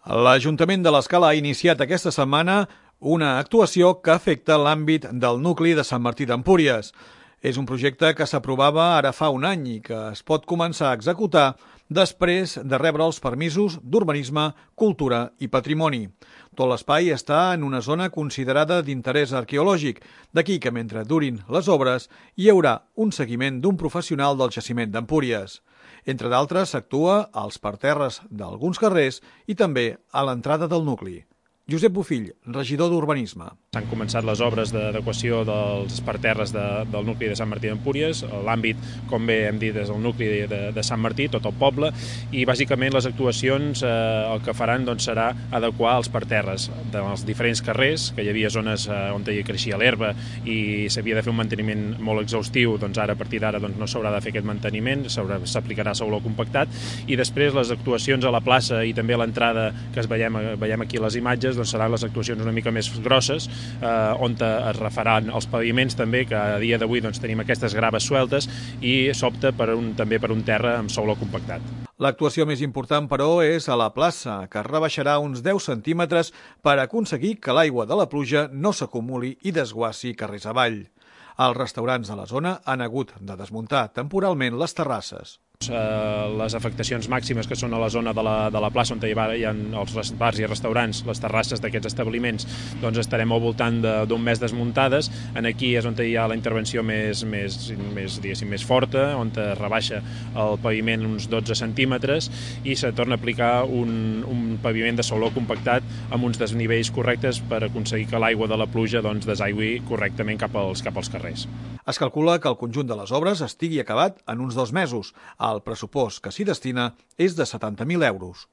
L'Ajuntament de l'Escala ha iniciat aquesta setmana una actuació que afecta l'àmbit del nucli de Sant Martí d'Empúries. És un projecte que s'aprovava ara fa un any i que es pot començar a executar després de rebre els permisos d'urbanisme, cultura i patrimoni. Tot l'espai està en una zona considerada d'interès arqueològic, d'aquí que mentre durin les obres hi haurà un seguiment d'un professional del jaciment d'Empúries. Entre d'altres, s'actua als parterres d'alguns carrers i també a l'entrada del nucli. Josep Bofill, regidor d'Urbanisme. S'han començat les obres d'adequació dels parterres del nucli de Sant Martí d'Empúries. L'àmbit, com bé hem dit, és el nucli de Sant Martí, tot el poble, i bàsicament les actuacions el que faran serà adequar els parterres dels diferents carrers, que hi havia zones on hi creixia l'herba i s'havia de fer un manteniment molt exhaustiu. Ara, a partir d'ara, no s'haurà de fer aquest manteniment, s'aplicarà sauló compactat, i després les actuacions a la plaça i també a l'entrada, que veiem aquí les imatges, seran les actuacions una mica més grosses, on es refaran els paviments també, que a dia d'avui tenim aquestes graves sueltes, i s'opta també per un terra amb sauló compactat. L'actuació més important, però, és a la plaça, que es rebaixarà uns 10 centímetres per aconseguir que l'aigua de la pluja no s'acumuli i desguassi carrers avall. Els restaurants de la zona han hagut de desmuntar temporalment les terrasses. Les afectacions màximes que són a la zona de la plaça on hi ha els bars i restaurants, les terrasses d'aquests establiments, estarem al voltant d'un mes desmuntades. Aquí és on hi ha la intervenció més forta, on es rebaixa el paviment uns 12 centímetres i se torna a aplicar un paviment de sauló compactat amb uns desnivells correctes per aconseguir que l'aigua de la pluja desaigüi correctament cap als carrers. Es calcula que el conjunt de les obres estigui acabat en uns 2 mesos. El pressupost que s'hi destina és de 70.000 euros.